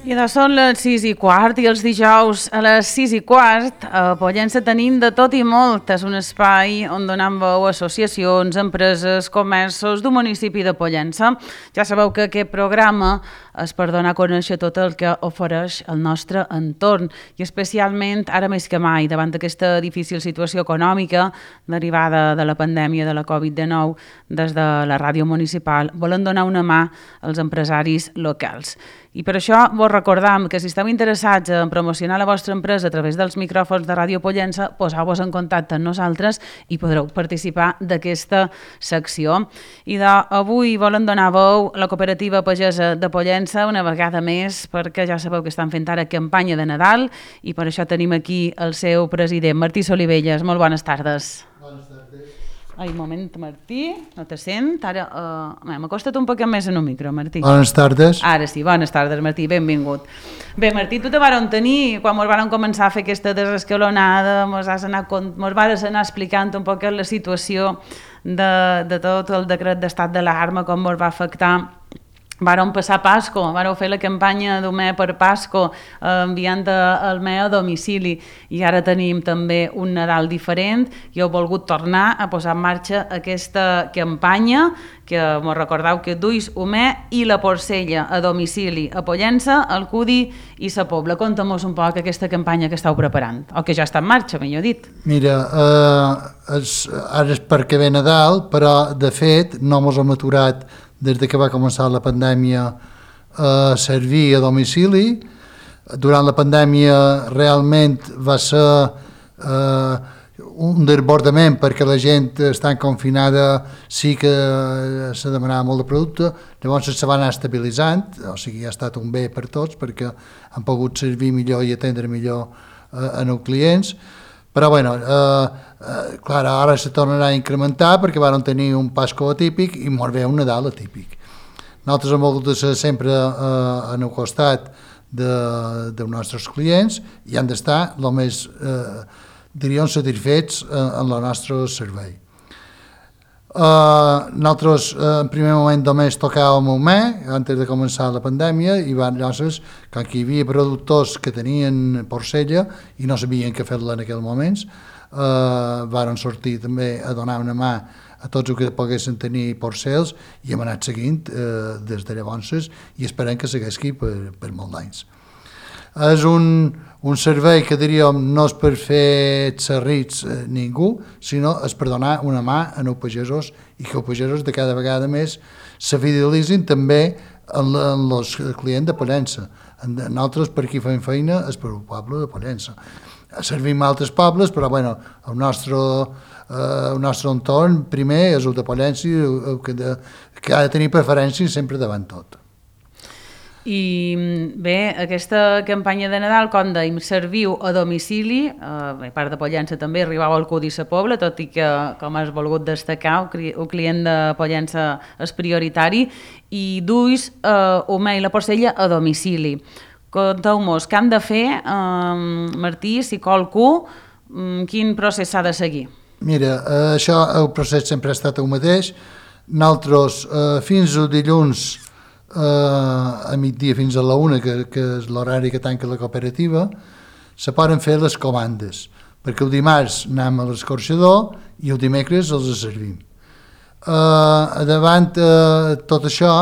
I ara són les 6:15 i els dijous a les 6:15 a Pollença tenim de tot i molt. És un espai on donem veu a associacions, empreses, comerços del municipi de Pollença. Ja sabeu que aquest programa és per donar a conèixer tot el que ofereix el nostre entorn i especialment ara més que mai davant d'aquesta difícil situació econòmica derivada de la pandèmia de la Covid-19. Des de la ràdio municipal volen donar una mà als empresaris locals. I per això vos recordam que si esteu interessats en promocionar la vostra empresa a través dels micròfons de Ràdio Pollença, poseu-vos en contacte amb nosaltres i podreu participar d'aquesta secció. I avui volen donar veu a la cooperativa pagesa de Pollença una vegada més, perquè ja sabeu que estan fent ara campanya de Nadal i per això tenim aquí el seu president, Martí Solivelles. Molt bones tardes. Bones tardes. Ai, un moment, Martí, no te sent. Ara, m'acosta't un poquet més en un micro, Martí. Bones tardes. Ara sí, bones tardes, Martí, benvingut. Bé, Martí, tu te varen tenir, quan ens varen començar a fer aquesta desescalonada, ens vares anar explicant un poc la situació de tot el decret d'estat d'alarma, com ens va afectar. Vàrem passar Pasco, vàreu fer la campanya d'Homè per Pasco, enviant el me a domicili, i ara tenim també un Nadal diferent i heu volgut tornar a posar en marxa aquesta campanya que mos recordeu que duis Homè i la porcella a domicili a Pollença, al Cudi i sa Pobla. Conta'm-nos un poc aquesta campanya que estàu preparant, o que ja està en marxa, millor dit. Mira, ara és perquè ve Nadal, però de fet no mos hem aturat des que va començar la pandèmia a servir a domicili. Durant la pandèmia realment va ser un desbordament perquè la gent estant confinada sí que se demanava molt de producte, llavors se va anar estabilitzant, o sigui, ha estat un bé per tots perquè han pogut servir millor i atendre millor els clients. Però bueno, clar, ara se tornarà a incrementar perquè van tenir un Pasco atípic i molt bé un Nadal atípic. Nosaltres hem volgut ser sempre en el costat dels nostres clients i han d'estar el més, diríem, satisfets en el nostre servei. Nosaltres en primer moment només tocàvem un mes antes de començar la pandèmia i llavors, quan hi havia productors que tenien porcella i no sabien què fer-la en aquells moments, varen sortir també a donar una mà a tots els que poguessin tenir porcels i hem anat seguint des de llavors i esperem que segueixi per molts anys. És un servei que diríem no és per fer xerrits ningú, sinó és per donar una mà als pagesos i que els pagesos de cada vegada més se fidelitzin també en els clients de Pollença. Nosaltres per aquí fem feina és per el poble de Pollença. Servim a altres pobles, però bueno, el nostre entorn primer és el de Pollença i el que ha de tenir preferència sempre davant tot. I bé, aquesta campanya de Nadal, com dèiem, serviu a domicili, a part de Pollença també arribau al Cudi i sa Pobla, tot i que, com has volgut destacar, el client de Pollença és prioritari, i duis Homè i la porcella a domicili. Conteu-nos, què han de fer, Martí, si qualcú, quin procés s'ha de seguir? Mira, això, el procés sempre ha estat el mateix. Nosaltres, fins al dilluns, a migdia fins a la 1, que és l'horari que tanca la cooperativa, se poden fer les comandes, perquè el dimarts anem a l'escorxador i el dimecres els servim. Davant tot això,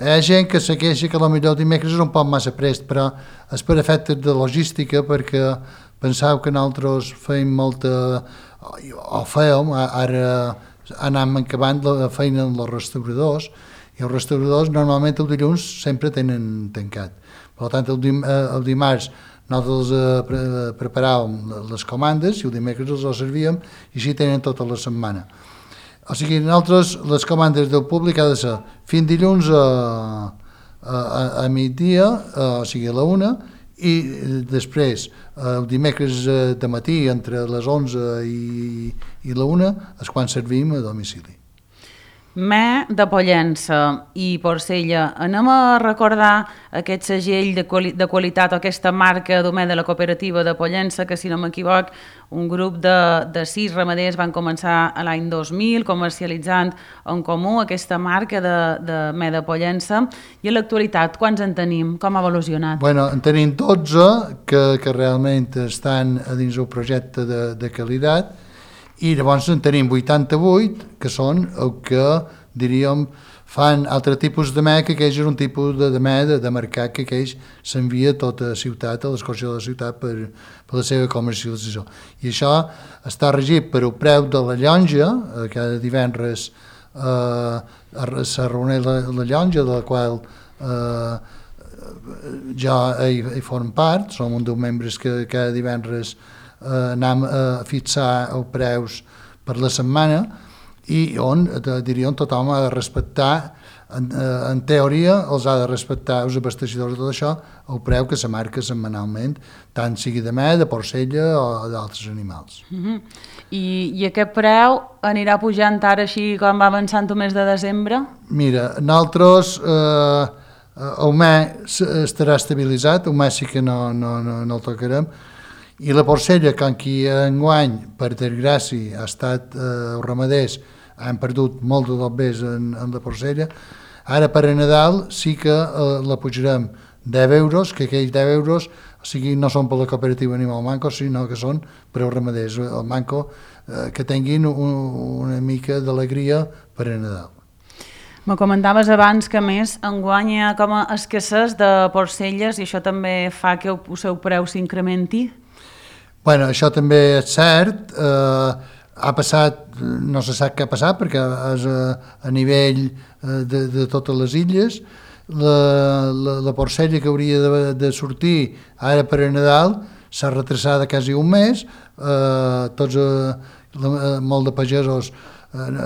hi ha gent que se queixa que potser el dimecres és un poc massa prest, però és per efectes de logística, perquè penseu que nosaltres fèiem molta, o fèiem, ara anem acabant la feina amb els restauradors, i els restauradors normalment el dilluns sempre tenen tancat. Per tant, el dimarts nosaltres preparàvem les comandes i el dimecres els servíem i així tenen tota la setmana. O sigui, nosaltres les comandes del públic ha de ser fins dilluns a migdia, o sigui a la 1, i després el dimecres de matí entre les 11 i la 1 és quan servim a domicili. Me de Pollença i Porcella, anem a recordar aquest segell de qualitat o aquesta marca d'Homé de la cooperativa de Pollença, que si no m'equivoc, un grup de 6 ramaders van començar a l'any 2000 comercialitzant en comú aquesta marca de Me de Pollença, i a l'actualitat quants en tenim? Com ha evolucionat? Bueno, en tenim 12 que realment estan a dins el projecte de qualitat, i llavors en tenim 88 que són el que, diríem, fan altre tipus de me, que aqueix és un tipus de me de mercat que aqueix s'envia a tota la ciutat, a l'escorxador de la ciutat per la seva comercialització. I això està regit per el preu de la llonja, cada divendres se reuneix la llonja, de la qual jo hi form part, som un dels membres que cada divendres anem a fixar els preus per la setmana, i on, diríem, tothom ha de respectar, en teoria, els ha de respectar els abasteixidors de tot això, el preu que se marca setmanalment, tant sigui de me, de porcella o d'altres animals. I aquest preu anirà pujant ara així com va avançant el mes de desembre? Mira, nosaltres el me estarà estabilitzat, el me sí que no el tocarem, i la porcella, com que enguany, per desgràcia, ha estat els ramaders han perdut molt de dobbers en la porcella, ara per a Nadal sí que la pujarem 10 euros, que aquells 10 euros o sigui, no són per la cooperativa Animal Manco, sinó que són per als ramaders, el Manco, que tinguin una mica d'alegria per a Nadal. Me comentaves abans que, més, enguany hi ha com a escassez de porcelles i això també fa que el seu preu s'incrementi? Bueno, això també és cert, ha passat, no se sap què ha passat perquè és a nivell de totes les illes, la porcella que hauria de sortir ara per a Nadal s'ha retrasada quasi un mes, molt de pagesos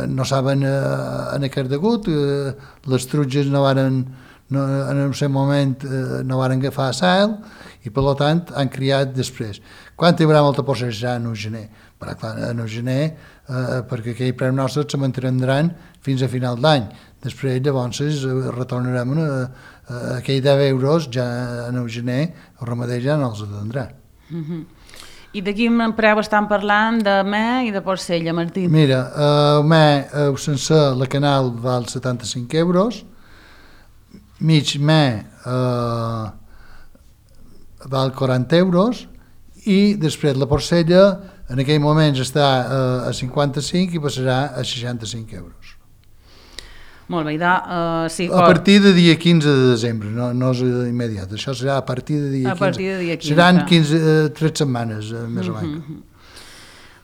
no saben en aquest degut, les trutges en un cert moment no van agafar sal i per tant han criat després. Quan hi haurà molta porcella serà en el gener, però clar, en el gener perquè aquell preu nostre se mantindran fins a final d'any. Després llavors retornarem aquells 10 euros ja en el gener, el ramader ja no els atendrà. I de quin preu estan parlant de me i de porcella, Martí? Mira, el me sencer, la canal val 75 euros, mig me val 40 euros, i després la porcella en aquell moment està a 55 i passarà a 65 euros. Molt bé, sí, a partir de dia 15 de desembre, no és immediat, això serà a partir de dia 15. Seran 3 setmanes, més o menys.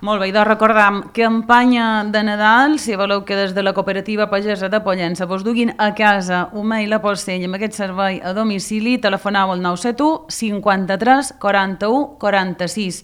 Molt bé, recordam, campanya de Nadal, si voleu que des de la cooperativa pagesa de Pollença vos duguin a casa Homé i la porcella amb aquest servei a domicili, telefoneu al 971 53 41 46.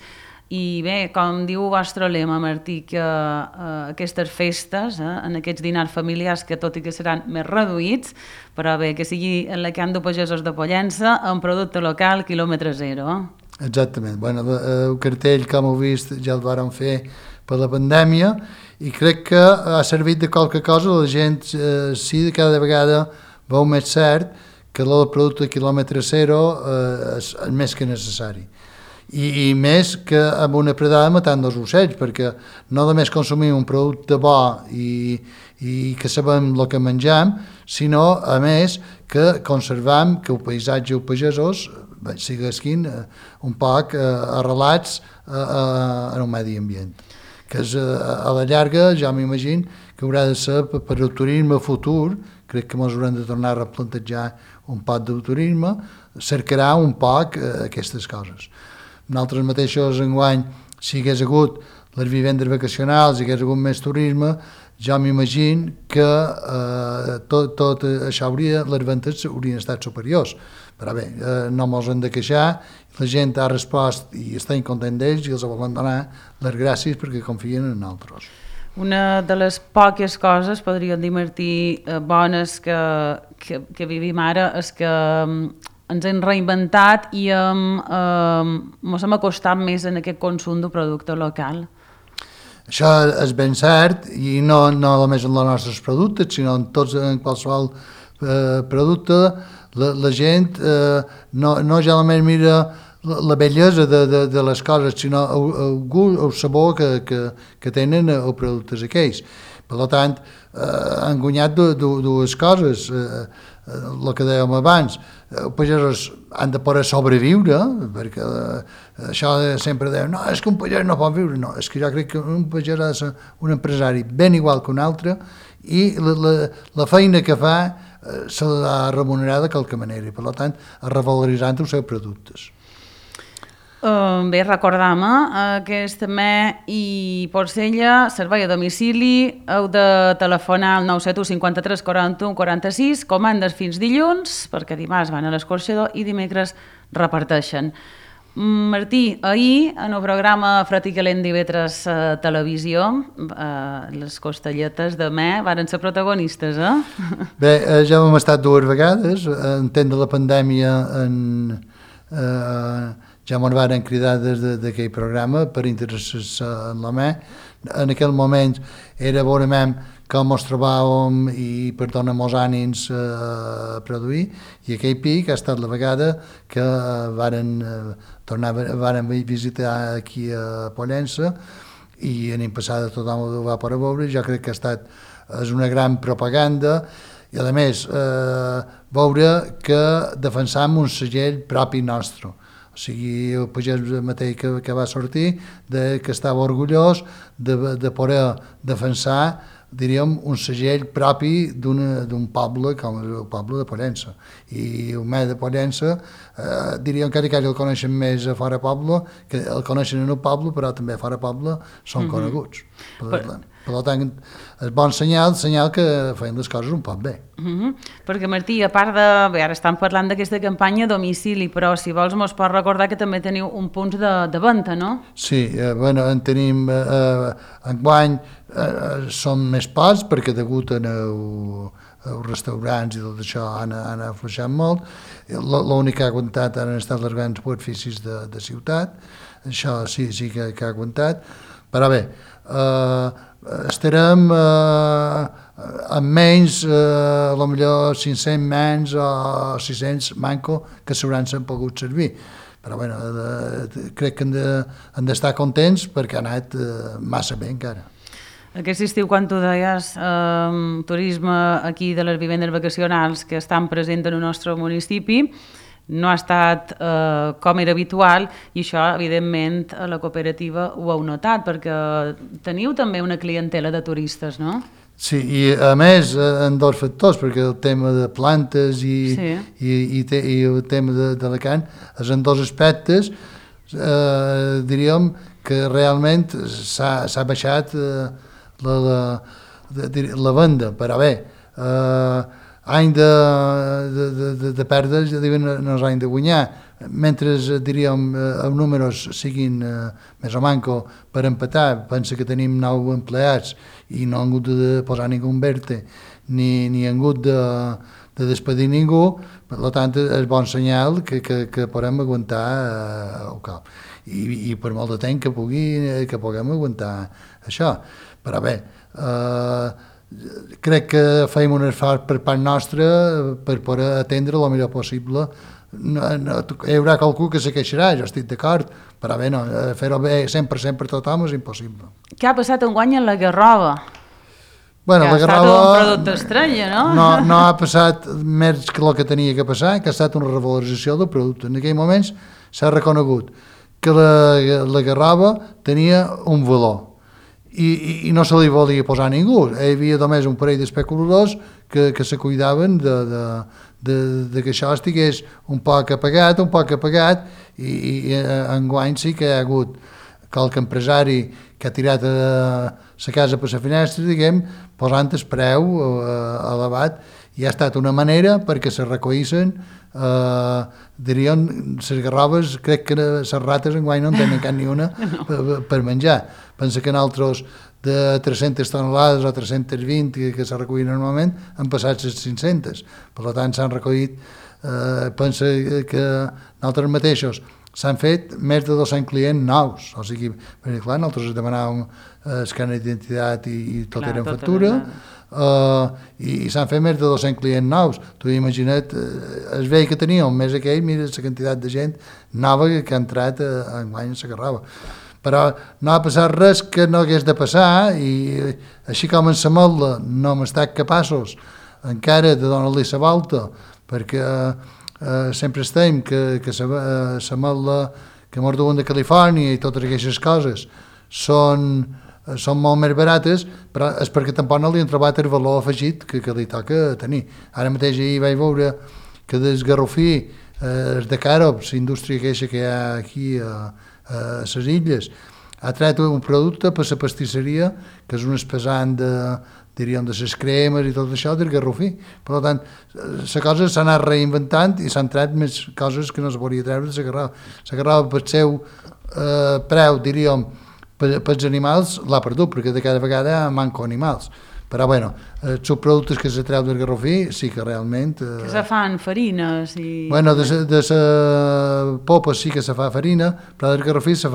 I bé, com diu el vostre lema, Martí, que aquestes festes, en aquests dinars familiars, que tot i que seran més reduïts, però bé, que sigui en la camp de pagesos de Pollença, amb producte local, quilòmetre zero. Exactament. Bueno, el cartell, com heu vist, ja el vàrem fer per la pandèmia i crec que ha servit de qualque cosa. La gent sí, cada vegada veu més cert que el producte quilòmetre zero és més que necessari. I més que amb una predada matant dos ocells, perquè no només consumim un producte bo i que sabem el que menjam, sinó, a més, que conservam que el paisatge i els pagesos siguessin un poc arrelats en el medi ambient. Que a la llarga, ja m'imagino, que haurà de ser per el turisme futur, crec que ens haurem de tornar a replantejar un poc del turisme, cercarà un poc aquestes coses. Nosaltres mateixos enguany, si hagués hagut les vivendes vacacionals, si hagués hagut més turisme, jo m'imagino que tot això les ventes haurien estat superiors. Però bé, no mos hem de queixar, la gent ha respost i està content d'ells i els volen donar les gràcies perquè confien en nosaltres. Una de les poques coses, podríem dir, Martí, bones que vivim ara és que ens hem reinventat i ens hem acostat més en aquest consum de producte local. Això és ben cert, i no només en els nostres productes, sinó en qualsevol producte, la gent no ja només mira la bellesa de les coses, sinó el gust, el sabor que tenen els productes aquells. Per tant, han guanyat dues coses, el que dèiem abans, els pagesos han de poder sobreviure, perquè això sempre deien, no, és que un pagès no pot viure, no, és que jo crec que un pagès ha de ser un empresari ben igual que un altre, i la feina que fa se l'ha remunerada de qualque manera, i per tant, revaloritzant els seus productes. Bé, recordam que és també i Porcella, servei a domicili, heu de telefonar al 971 53 41 46, comandes fins dilluns, perquè dimarts van a l'escorxador i dimecres reparteixen. Martí, ahir en el programa Fred i Calent d'IV3 Televisió, les costelletes de me varen ser protagonistes, Bé, ja hem estat dues vegades, en temps de la pandèmia ja m'ho van cridar des d'aquell programa per interessar-se en la me. En aquell moment era veurem com ens trobàvem i per donar-nos ànims a produir, i aquell pic ha estat la vegada que varen visitar aquí a Pollença i anem passada tothom ho va poder veure. Jo crec que és una gran propaganda, i a més veure que defensam un segell propi nostre. O sigui, el pagès mateix que va sortir, que estava orgullós de poder defensar, diríem, un segell propi d'un poble com el poble de Pollença. I el me de Pollença, diríem que el coneixen més a fora poble, que el coneixen en el poble, però també a fora poble són coneguts. Per tant, és bon senyal que feien les coses un poc bé. Perquè, Martí, a part de... Bé, ara estem parlant d'aquesta campanya a domicili, però si vols mos pots recordar que també teniu un punt de venda, no? Sí, bueno, en tenim... enguany són més pocs, perquè degut als restaurants i tot això han afluixat molt. L'únic que ha aguantat han estat els grans superfícies de ciutat, això sí que ha aguantat, però bé, estarem amb menys, potser 500 menys o 600 manco que s'hauran pogut servir. Però bueno, crec que han d'estar contents perquè ha anat massa bé encara. Aquest estiu, quan tu deies, turisme aquí de les vivendes vacacionals que estan presents en el nostre municipi, no ha estat com era habitual, i això, evidentment, a la cooperativa ho heu notat, perquè teniu també una clientela de turistes, no? Sí, i a més, en dos factors, perquè el tema de plantes i el tema de la carn, és en dos aspectes, diríem que realment s'ha baixat la venda, però bé, any de pèrdues, no és any de guanyar, mentre, diríem, els números siguin més o manco per empatar. Pensa que tenim 9 empleats i no han hagut de posar ningú en verte, ni han hagut de despedir ningú, per tant és bon senyal que podem aguantar el cop. I per molt de temps que puguem aguantar això. Però bé, crec que feim un esforç per part nostra per poder atendre el millor possible. Hi haurà qualcú que se queixarà, jo estic d'acord, però bé, fer-ho bé 100% per tothom és impossible. Què ha passat enguany en la Garrova? Bueno, que ha estat un producte estrany, no? No ha passat més que el que tenia que passar, que ha estat una revalorització del producte. En aquell moment s'ha reconegut que la Garrova tenia un valor, i no se li volia posar a ningú. Hi havia només un parell d'especuladors que se cuidaven de que això estigués un poc apagat, i enguany sí que hi ha hagut qualque empresari que ha tirat la casa per la finestra, diguem, posant el preu elevat, i ha estat una manera perquè se recollissin, diríem, les garroves. Crec que les rates enguany no en tenen cap ni una per menjar. Pensa que nosaltres de 300 tonelades o 320 que se recullen normalment han passat les 500. Per tant, s'han recollit, pensa que nosaltres mateixos s'han fet més de 200 clients nous, o sigui, perquè clar, nosaltres demanàvem escàner d'identitat i tot era en factura, i s'han fet més de 200 clients nous. Tu imagina't, es veia que teníem un mes aquell, mira la quantitat de gent nova que ha entrat enguany a la Garrava. Però no ha passat res que no hagués de passar, i així com en la Motla no hem estat capaços encara de donar-li la volta, perquè sempre estem que la Motla, que mos duen de Califòrnia i totes aquestes coses són molt més barates, però és perquè tampoc no li han trobat el valor afegit que li toca tenir. Ara mateix ahir vaig veure que des Garrofí, de Càrobs, la indústria queixa que hi ha aquí a les illes, ha tret un producte per la pastisseria que és un espesant diríem de les cremes i tot això del Garrofí. Per tant, la cosa s'ha anat reinventant i s'han tret més coses que no es volia treure de la Garrava. La Garrava, pel seu preu, diríem, pels animals, l'ha perdut, perquè de cada vegada manco animals. Però, bueno, els productes que se treu del Garrofí sí que realment... Que se fan farines i... Bueno, de la popa sí que se fa farina, però del Garrofí se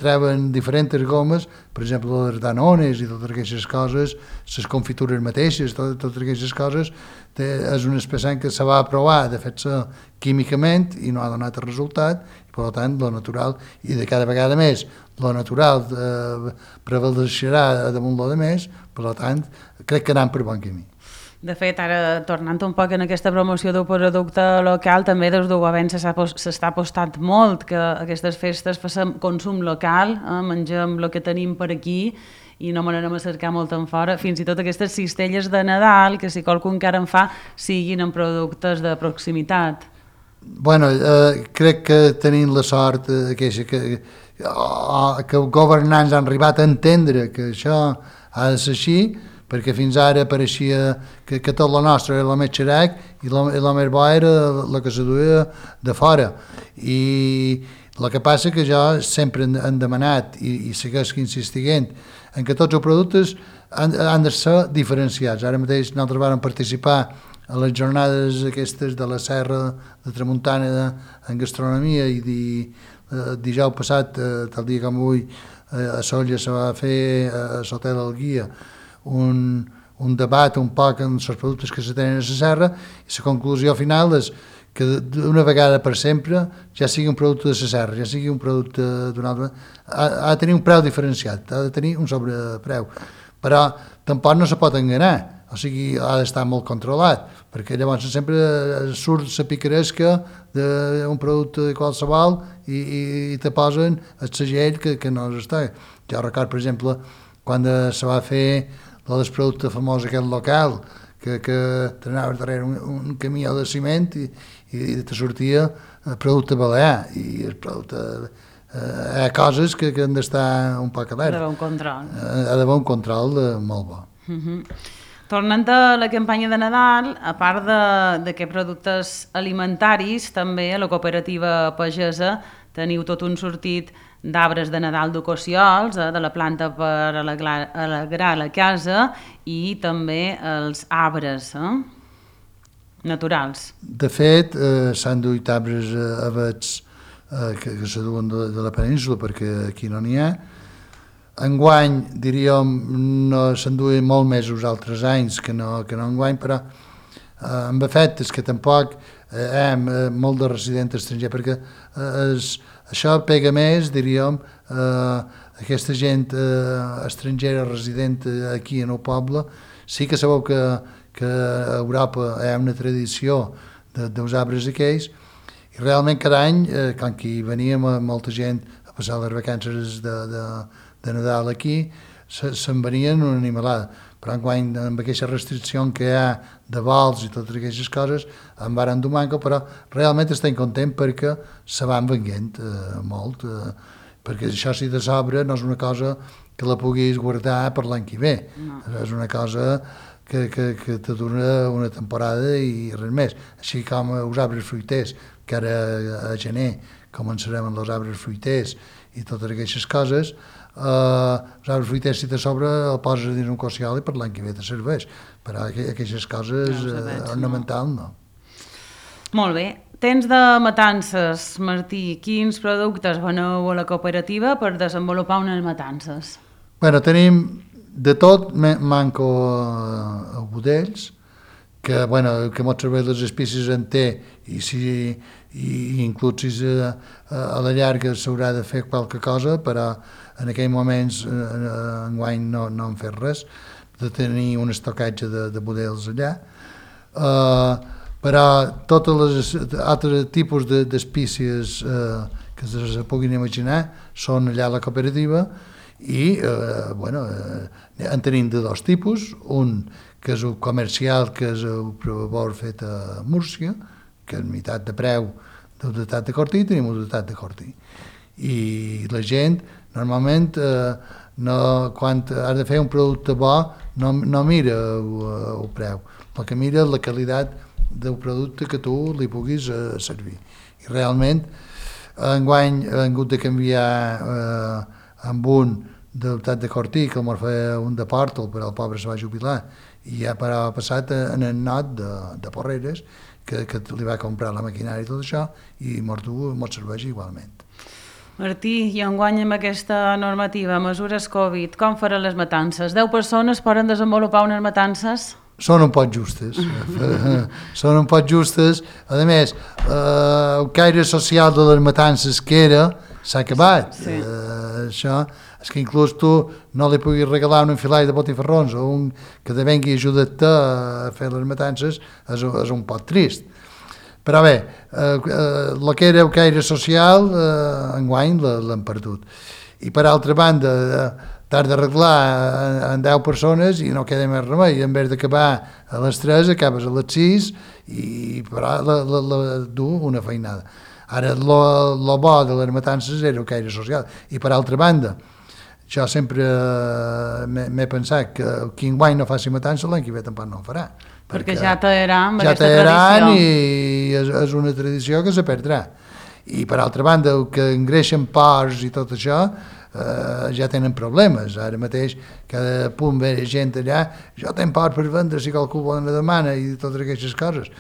treuen diferents gomes, per exemple, les danones i totes aquestes coses, les confitures mateixes, totes aquestes coses, és un espècie que se va provar de fer-se químicament i no ha donat el resultat, i per tant, lo natural, i de cada vegada més, lo natural prevaleixerà damunt lo de més, per tant, crec que anem per bon camí. De fet, ara, tornant un poc en aquesta promoció del producte local, també des del govern s'està apostant molt que aquestes festes facin consum local, mengem el que tenim per aquí i no me n'anem a cercar molt en fora, fins i tot aquestes cistelles de Nadal, que si qualcú encara en fa, siguin en productes de proximitat. Bueno, crec que tenim la sort que els governants han arribat a entendre que això ha de ser així, perquè fins ara pareixia que tot el nostre era el més xerac i el més bo era el que se duia de fora. I el que passa que jo sempre han demanat i segueix insistint en que tots els productes han de ser diferenciats. Ara mateix nosaltres vam participar a les jornades aquestes de la Serra de Tramuntana en gastronomia i dijous passat, tal dia com avui, a Sóller se va fer a l'Hotel El Guia un debat un poc en els productes que se tenen a la serra, i la conclusió final és que d'una vegada per sempre ja sigui un producte de la serra, ja sigui un producte d'un altre, ha de tenir un preu diferenciat, ha de tenir un sobrepreu, però tampoc no se pot enganyar, o sigui, ha d'estar molt controlat, perquè llavors sempre surt la picaresca d'un producte qualsevol i te posen el segell que no està. Jo record, per exemple, quan se va fer el producte famós aquest local, que t'anaves darrere un camió de ciment i te sortia producte balear, i el producte... hi ha coses que han d'estar un poc alerta. Ha d'haver un control. Ha d'haver un control molt bo. Tornant a la campanya de Nadal, a part d'aquests productes alimentaris, també a la cooperativa pagesa teniu tot un sortit d'arbres de Nadal d'ocossiols, de la planta per alegrar la casa, i també els arbres naturals. De fet, s'han duit arbres avets que se duen de la península, perquè aquí no n'hi ha. Enguany, diríem, no se'n duien molt més els altres anys que no enguany, però amb efectes que tampoc hi ha molt de resident estranger, perquè això pega més, diríem, aquesta gent estrangera resident aquí en el poble. Sí que sabeu que a Europa hi ha una tradició dels arbres aquells, i realment cada any, quan hi veníem molta gent a passar les vacances de Nadal aquí, se'n venien una animalada. Però enguany, amb aquesta restricció que hi ha de vols i totes aquestes coses, en varen dur manco, però realment estem contents perquè se van venent molt, perquè això si de sobre no és una cosa que la puguis guardar per l'any que ve. No. És una cosa que te dura una temporada i res més. Així com els arbres fruiters, que ara a gener començarem amb els arbres fruiters i totes aquestes coses, els arbres fruiters si te sobre el poses dins un cossiol i per l'any que ve te serveix, però aquestes coses ornamentals no. Molt bé. Temps de matances, Martí, quins productes veneu a la cooperativa per desenvolupar unes matances? Bueno, tenim de tot, manco a budells, que, bueno, que moltes vegades les espècies en té i inclús si a la llarga s'haurà de fer qualque cosa, però en aquells moments enguany no hem fet res, de tenir un estocatge de budells allà. Però tots els altres tipus d'espècies que se puguin imaginar són allà a la cooperativa i en tenim de dos tipus, un que és el comercial, que és el provador fet a Múrcia, que és meitat de preu d'unitat de Cortí, tenim unitat de Cortí. I la gent, normalment, quan has de fer un producte bo, no mira el preu, el que mira és la qualitat del producte que tu li puguis servir. I realment, enguany hem hagut de canviar amb un d'unitat de Cortí, que el feia un de Pòrtol, però el pobre se va jubilar, i ja ha passat en el not de Porreres, que li va comprar la maquinària i tot això, i mos serveix igualment. Martí, i enguany amb aquesta normativa, mesures Covid, com faran les matances? 10 persones poden desenvolupar unes matances? Són un poc justes. Són un poc justes. A més, el caire social de les matances que era s'ha acabat. Sí. Això és que inclús tu no li puguis regalar un enfilall de botifarrons o un que te vengui a ajudar-te a fer les matances és un poc trist. Però bé, el que era el caire social, enguany l'hem perdut. I per altra banda, t'has d'arreglar en 10 persones i no queda més remei. En vez d'acabar a les 3, acabes a les 6 i dur una feinada. Ara, el bo de les matances era el caire social. I per altra banda, jo sempre m'he pensat que qui enguany no faci matança, l'any que ve tampoc no ho farà. Perquè ja t'agraran amb aquesta tradició. I és una tradició que se perdrà. I per altra banda, el que engreixen porcs i tot això, ja tenen problemes. Ara mateix, cada punt ve gent allà, jo tenc porc per vendre si qualcú vol una demana i totes aquestes coses.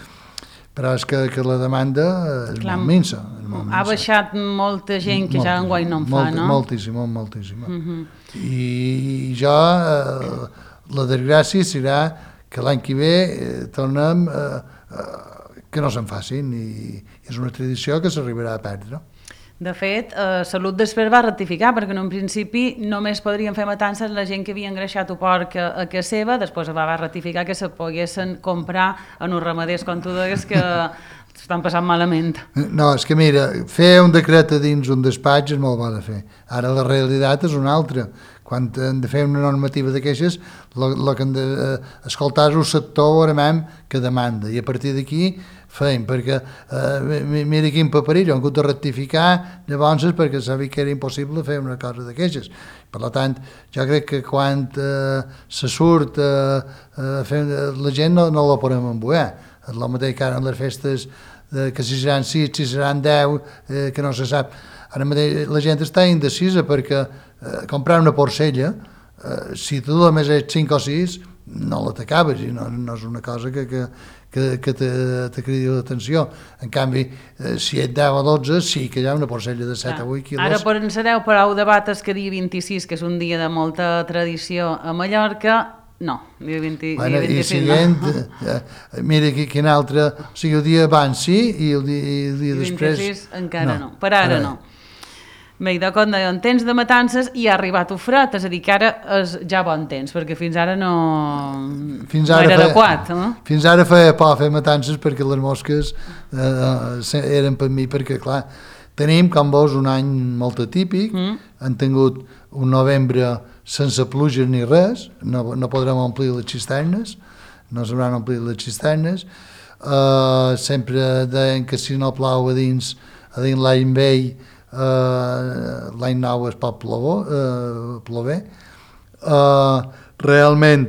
Però és que la demanda és molt minsa. Ha baixat molta gent que ja enguany no en fa, no? Moltíssima. I jo, la desgràcia serà que l'any que ve tornem que no se'n facin i és una tradició que s'arribarà a perdre. De fet, Salut després va rectificar, perquè en un principi només podrien fer matances la gent que havia engreixat el porc a casa seva, després va rectificar que se poguessin comprar en uns ramaders, com tu deies, que estan passant malament. No, és que mira, fer un decret a dins un despatx és molt bo de fer. Ara la realitat és una altra. Quan hem de fer una normativa d'aquestes, el que hem d'escoltar és el sector que demanda, i a partir d'aquí feim, perquè mira quin paperell, hem hagut de rectificar llavors perquè sabia que era impossible fer una cosa d'aquestes. Per tant, jo crec que quan se surt la gent no la podem embuer. És el mateix que ara en les festes, que si seran 6, si seran 10, que no se sap. Ara mateix la gent està indecisa perquè comprar una porcella, si tu només ets 5 o 6, no la t'acabes i no és una cosa que te cridi l'atenció. En canvi, si ets 10 o 12, sí que hi ha una porcella de 7 o 8 quilos. Ara per encereu prou debates que dia 26, que és un dia de molta tradició a Mallorca, no, dia 26 i siguent, mira quin altre, o sigui, el dia abans sí i el dia després... 26 encara no, per ara no. Bé, de com deia, en temps de matances i ha arribat el fred, és a dir, que ara és ja bon temps, perquè fins ara no era adequat. No? Fins ara feia por fer matances perquè les mosques eren per mi, perquè clar, tenim, com veus, un any molt atípic, han tingut un novembre sense pluja ni res, no podrem omplir les cisternes, no s'hauran omplit les cisternes, sempre deien que si no plou a dins l'any vell, l'any nou es pot plover. Realment,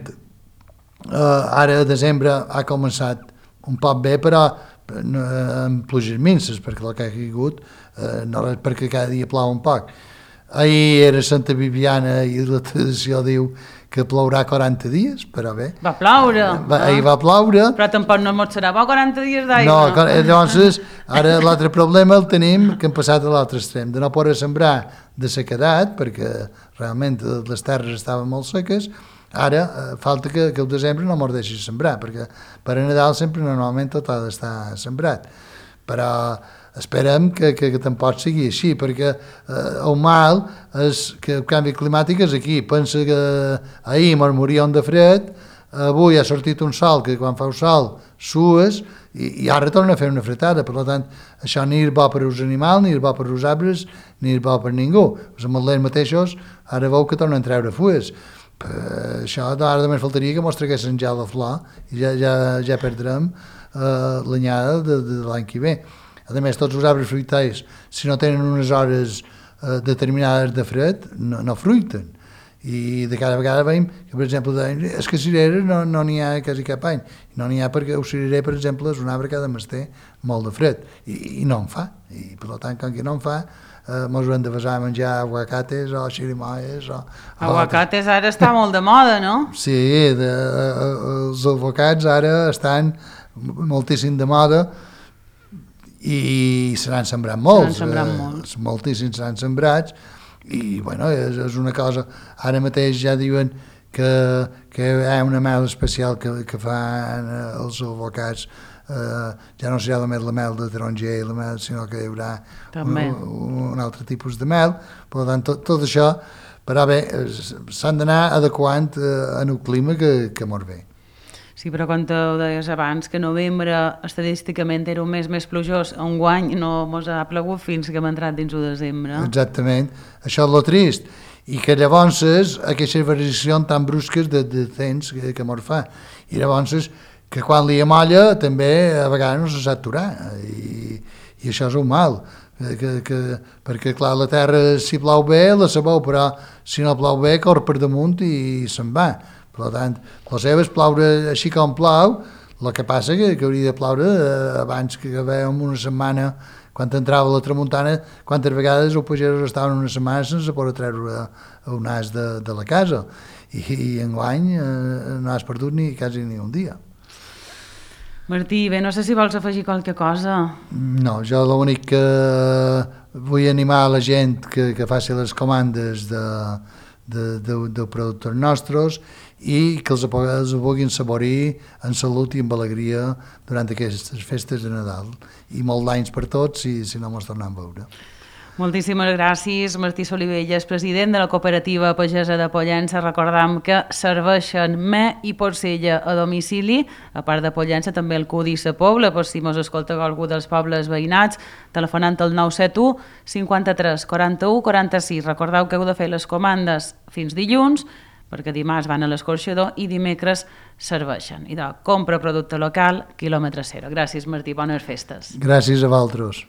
ara a desembre ha començat un poc bé, però amb pluges minces, perquè el que ha caigut no és perquè cada dia plou un poc. Ahir era Santa Bibiana i la tradició diu que plourà 40 dies, però bé. Va ploure. Ahir va ploure. Però tampoc no mos serà bo 40 dies d'aigua. No, llavors, ara l'altre problema el tenim que hem passat a l'altre extrem, de no poder sembrar de sequedat, perquè realment les terres estaven molt seques. Ara falta que el desembre no mos deixi sembrar, perquè per a Nadal sempre normalment tot ha d'estar sembrat. Però esperem que tampoc sigui així, perquè el mal és que el canvi climàtic és aquí. Pensa que ahir mos moríem de fred, avui ha sortit un sol que quan fa el sol sues i ara torna a fer una fretada. Per tant, això ni és bo per als animals, ni és bo per als arbres, ni és bo per ningú. Els ametlers mateixos ara veu que tornen a treure fulles. Això ara només faltaria que mos traguessin ja la flor i ja perdrem l'anyada de l'any que ve. A més, tots els arbres fruitaris, si no tenen unes hores determinades de fred, no fruiten. I de cada vegada veiem que, per exemple, és que cireres no n'hi ha quasi cap any. No n'hi ha perquè el cirerer, per exemple, és un arbre que ha de mester molt de fred i no en fa. I per tant, com que no en fa, mos hem de basar a menjar aguacates o xirimoies o... Aguacates ara està molt de moda, no? Sí, els avocats ara estan moltíssim de moda i se n'han sembrat molts. Moltíssims seran sembrats i, bueno, és una cosa... Ara mateix ja diuen que hi ha una mel especial que fan els avocats. Ja no serà només la mel de taronger i la mel, sinó que hi haurà un altre tipus de mel. Per tant, tot això, però bé, s'han d'anar adequant en el clima que mos ve. Sí, però quan ho deies abans, que novembre estadísticament era un mes més plujós, enguany no mos ha plogut fins que hem entrat dins el desembre. Exactament, això és lo trist. I que llavors aquestes variacions tan brusques de temps que mos fa. I llavors que quan li amolla també a vegades no se sap aturar i això és un mal perquè clar, la terra si plou bé la sabeu, però si no plou bé corre per damunt i se'n va. Per tant, la seva és ploure així com plou, el que passa que hauria de ploure abans que vèiem una setmana quan entrava la tramuntana, quantes vegades els pagesos estaven una setmana sense poder treure un as de la casa i enguany no has perdut quasi ni un dia. Martí, bé, no sé si vols afegir qualque cosa. No, jo l'únic que vull animar a la gent que faci les comandes de productors nostres i que els puguin saborir en salut i amb alegria durant aquestes festes de Nadal. I molt d'anys per tots si no mos tornem a veure. Moltíssimes gràcies, Martí Solivelles, president de la cooperativa pagesa de Pollença. Recordam que serveixen me i porcella a domicili, a part de Pollença també el Cudi i la Pobla, per si mos escolta algú dels pobles veïnats, telefonant al 971 53 41 46. Recordeu que heu de fer les comandes fins dilluns, perquè dimarts van a l'escorxador i dimecres serveixen. I compra producte local, quilòmetre zero. Gràcies, Martí, bones festes. Gràcies a vosaltres.